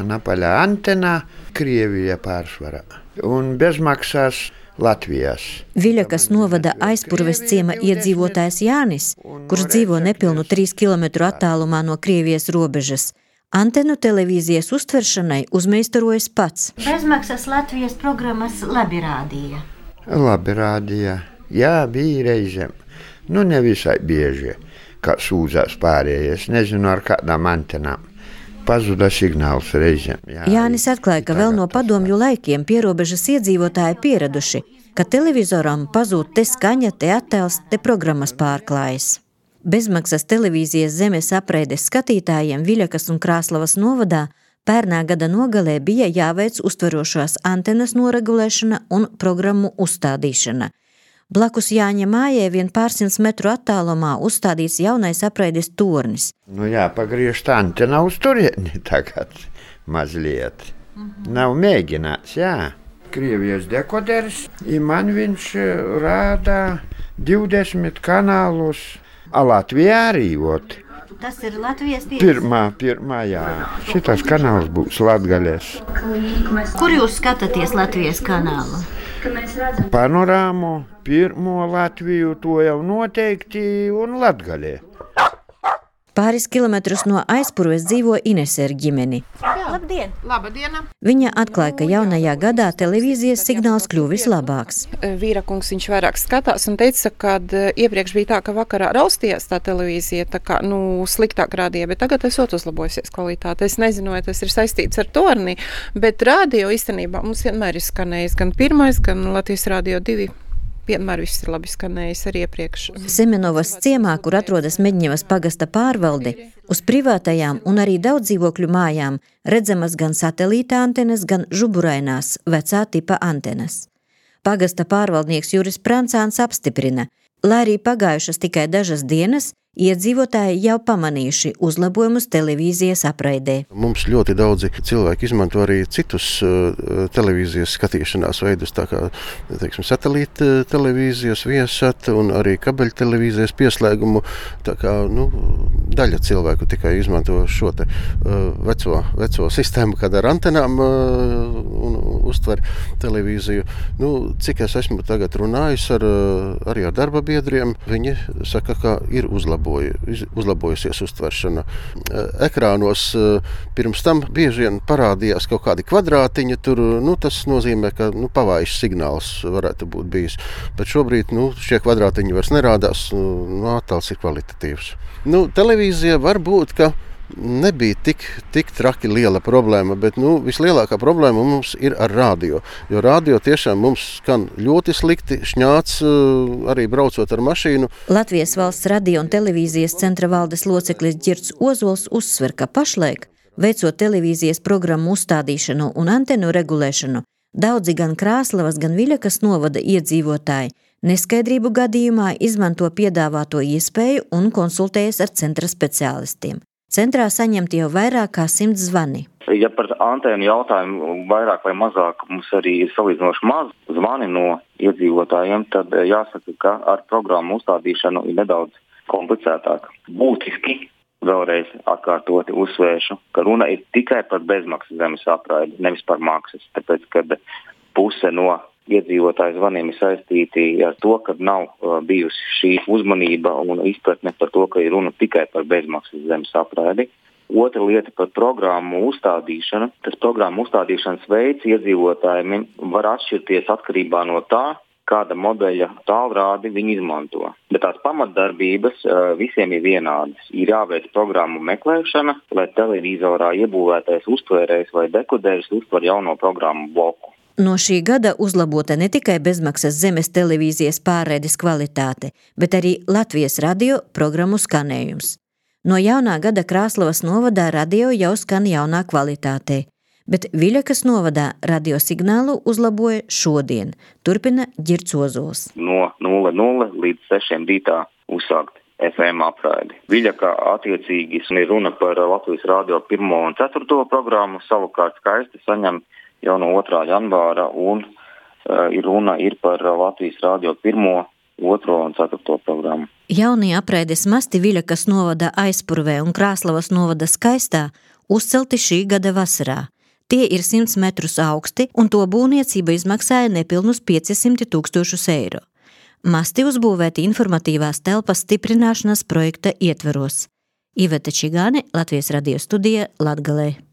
Napaļā antenā, Krievija pārsvarā un bezmaksās Latvijas. Viļakas novada Aizpurves ciema iedzīvotājs Jānis, kurš dzīvo nepilnu 3 kilometru attālumā no Krievijas robežas, antenu televīzijas uztveršanai uzmeistarojas pats. Bezmaksas Latvijas programmas labi rādīja. Labi rādīja. Jā, bija reizēm. Nevisai bieži, kā sūdzās pārējais. Nezinu, ar kādām antenām. Pazuda signāls reizēm. Jānis atklāja, ka vēl no padomju laikiem pierobežas iedzīvotāji pieraduši, ka televizoram pazūd te skaņa, te attēls, te programmas pārklājas. Bezmaksas televīzijas zemes apreides skatītājiem Viļakas un Krāslavas novadā pērnā gada nogalē bija jāveic uztverošās antenas noregulēšana un programmu uzstādīšana. Blakus Jāņa mājai vien pārsimts metru attālumā uzstādīts jaunais apreides tornis. Jāpagriež antena uz turieni tagad mazliet. Nav mēģināts, jā. Krievijas dekoderis, man viņš rāda 20 kanālus, a Latvijā arī ot. Tas ir Latvijas tiesa? Pirmā, jā. Šitas kanāls būs latgaļas. Kur jūs skatāties Latvijas kanālu? Panorāmu, pirmo Latviju, to jau noteikti, un Latgaļē. Pāris kilometrus no Aizpurves dzīvo Inese ar ģimeni. Labdien! Labdiena! Viņa atklāja, ka jaunajā gadā televīzijas signāls kļuvis labāks. Vīrakungs viņš vairāk skatās un teica, ka iepriekš bija tā, ka vakarā raustījās tā televīzija, tā kā, sliktāk rādīja, bet tagad esot uzlabojusies kvalitāte. Es nezinu, vai tas ir saistīts ar torni, bet radio īstenībā mums vienmēr ir skanējis gan pirmais, gan Latvijas radio 2. Vienmēr viss ir labi skanējis arī iepriekš. Semenovas ciemā, kur atrodas Meģņevas pagasta pārvalde, uz privātajām un arī daudzdzīvokļu mājām redzamas gan satelīta antenas, gan žuburainās vecā tipa antenas. Pagasta pārvaldnieks Juris Prancāns apstiprina, lai arī pagājušas tikai dažas dienas, iedzīvotāji jau pamanījuši uzlabojumus televīzijas apraidē. Mums ļoti daudzi cilvēki izmanto arī citus televīzijas skatīšanās veidus, tā kā, satelīta televīzijas Viasat un arī kabeļu televīzijas pieslēgumu. Tā kā, daļa cilvēku tikai izmanto šo te veco sistēmu, kad ar antenām un uztver televīziju. Cik es esmu tagad runājis arī ar darba biedriem, viņi saka, ka ir uzlabojusies uztveršana. Ekrānos pirms tam bieži vien parādījās kaut kādi kvadrātiņi, tur, tas nozīmē, ka pavājš signāls varētu būt bijis. Bet šobrīd, šie kvadrātiņi vairs nerādās, attēls ir kvalitatīvs. Televīzija var būt, ka nebija tik traki liela problēma, bet vislielākā problēma mums ir ar radio. Jo radio tiešām mums skan ļoti slikti, šņāts arī braucot ar mašīnu. Latvijas valsts radio un televīzijas centra valdes loceklis Ģirds Ozols uzsver, ka pašlaik, veicot televīzijas programmu uzstādīšanu un antenu regulēšanu, daudzi gan Krāslavas, gan Viļakas novada iedzīvotāji neskaidrību gadījumā izmanto piedāvāto iespēju un konsultējas ar centra speciālistiem. Centrā saņemt jau vairāk kā 100 zvani. Ja par antēnu jautājumu vairāk vai mazāk mums arī ir salīdzinoši maz zvani no iedzīvotājiem, tad jāsaka, ka ar programmu uzstādīšanu ir nedaudz komplicētāk. Būtiski vēlreiz atkārtoti uzsvēršu, ka runa ir tikai par bezmaksas zemes apraidi, nevis par maksas, tāpēc, kad puse no iedzīvotāju zvaniem ir saistīti ar to, ka nav bijusi šī uzmanība un izpratne par to, ka ir runa tikai par bezmaksas zemes apraidi. Otra lieta par programmu uzstādīšanu. Tas programmu uzstādīšanas veids iedzīvotājiem var atšķirties atkarībā no tā, kāda modeļa tālrādi viņi izmanto. Bet tās pamatdarbības visiem ir vienādas. Ir jāveic programmu meklēšana, lai televizorā iebūvētais uztvērējs vai dekoderis uztver jauno programmu bloku. No šī gada uzlabota ne tikai bezmaksas zemes televīzijas pārraides kvalitāte, bet arī Latvijas radio programmu skanējums. No jaunā gada Krāslavas novadā radio jau skan jaunā kvalitātē, bet Viļakas novadā radio signālu uzlaboja šodien, turpina Ģirds Ozols. No 00 līdz 6 rītā uzsākt FM apraidi. Viļakā attiecīgi ir runa par Latvijas radio 1. un 4. programmu, savukārt Skaisti saņem jau no 2. janvāra un runa ir par Latvijas radio 1., 2. un 4. programmu. Jaunie apraides masti Viļakas novada Aizpurvē un Krāslavas novada Skaistā uzcelti šī gada vasarā. Tie ir 100 metrus augsti, un to būvniecība izmaksāja nepilnus 500 000 eiro. Masti uzbūvēti informatīvās telpas stiprināšanas projekta ietveros. Iveta Čigāne, Latvijas radio studija, Latgalē.